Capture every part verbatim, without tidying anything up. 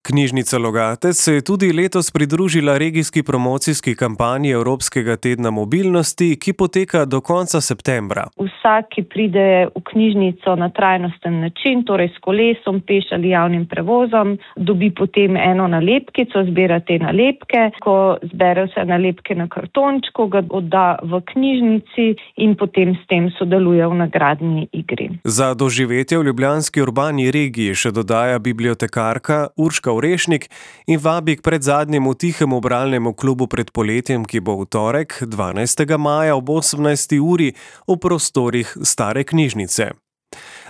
Knjižnica Logatec se je tudi letos pridružila regijski promocijski kampanji Evropskega tedna mobilnosti, ki poteka do konca septembra. Vsak, ki pride v knjižnico na trajnosten način, torej s kolesom, peš ali javnim prevozom, dobi potem eno nalepkico, zbira te nalepke. Ko zbere vse nalepke na kartončku, ga odda v knjižnici in potem s tem sodeluje v nagradni igri. Za doživetje v ljubljanski urbani regiji še dodaja bibliotekarka Urška Orešnik in vabi k predzadnjemu tihemu bralnemu klubu pred poletjem, ki bo v torek, dvanajstega maja ob osemnajsti uri v prostorih Stare knjižnice.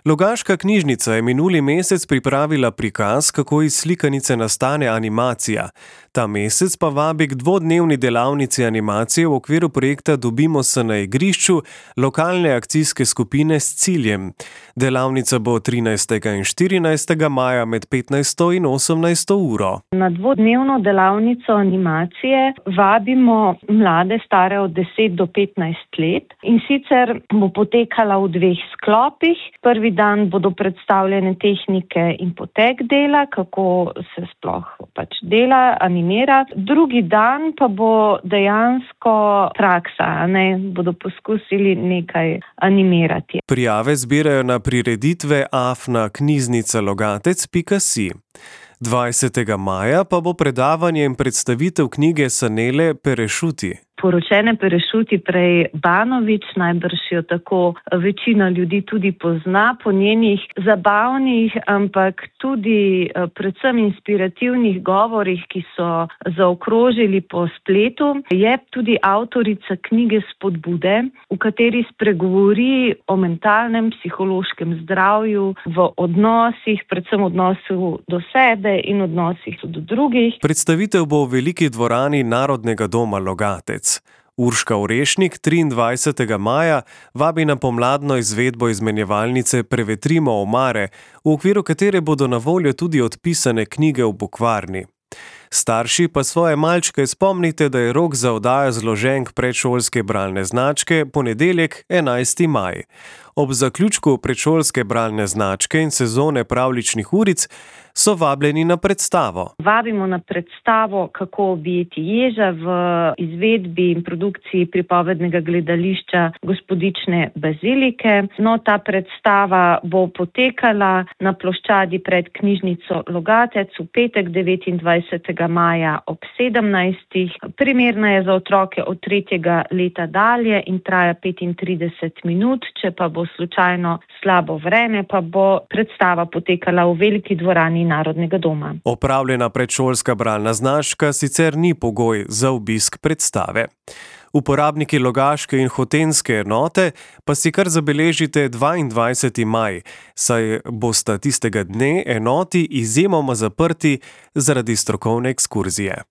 Logaška knjižnica je minuli mesec pripravila prikaz, kako iz slikanice nastane animacija. Ta mesec pa vabi k dvodnevni delavnici animacije v okviru projekta Dobimo se na igrišču lokalne akcijske skupine s ciljem. Delavnica bo trinajstega in štirinajstega maja med petnajsto in osemnajsto uro. Na dvodnevno delavnico animacije vabimo mlade stare od deset do petnajst let in sicer bo potekala v dveh sklopih. Prvi dan bodo predstavljene tehnike in potek dela, kako se sploh pač dela, animira. Drugi dan pa bo dejansko praksa, ne, bodo poskusili nekaj animirati. Prijave zbirajo na prireditve afna knjižnica logatec pika si. dvajsetega maja pa bo predavanje in predstavitev knjige Sanele Perešuti. Poročene Perešuti, prej Banović, najbrž jo tako večina ljudi tudi pozna po njenih zabavnih, ampak tudi predvsem inspirativnih govorih, ki so zaokrožili po spletu. Je tudi avtorica knjige Spodbude, v kateri spregovori o mentalnem, psihološkem zdravju, v odnosih, predvsem odnosu do sebe in odnosih do drugih. Predstavitev bo v veliki dvorani Narodnega doma Logatec. Urška Orešnik triindvajsetega maja vabi na pomladno izvedbo izmenjevalnice Prevetrimo omare, v okviru katere bodo na voljo tudi odpisane knjige v bukvarni. Starši pa svoje malčke spomnite, da je rok za oddajo zloženk predšolske bralne značke ponedeljek, enajsti maj. Ob zaključku predšolske bralne značke in sezone pravljičnih uric so vabljeni na predstavo. Vabimo na predstavo Kako objeti ježa v izvedbi in produkciji pripovednega gledališča Gospodične bazilike. No, ta predstava bo potekala na ploščadi pred knjižnico Logatec v petek devetindvajsetega maja ob sedemnajstih. Primerna je za otroke od tretjega leta dalje in traja petintrideset minut, če pa bo slučajno slabo vreme, pa bo predstava potekala v veliki dvorani Narodnega doma. Opravljena predšolska bralna značka sicer ni pogoj za obisk predstave. Uporabniki Logaške in Hotenjske enote pa si kar zabeležite dvaindvajseti maj, saj bosta tistega dne enoti izjemoma zaprti zaradi strokovne ekskurzije.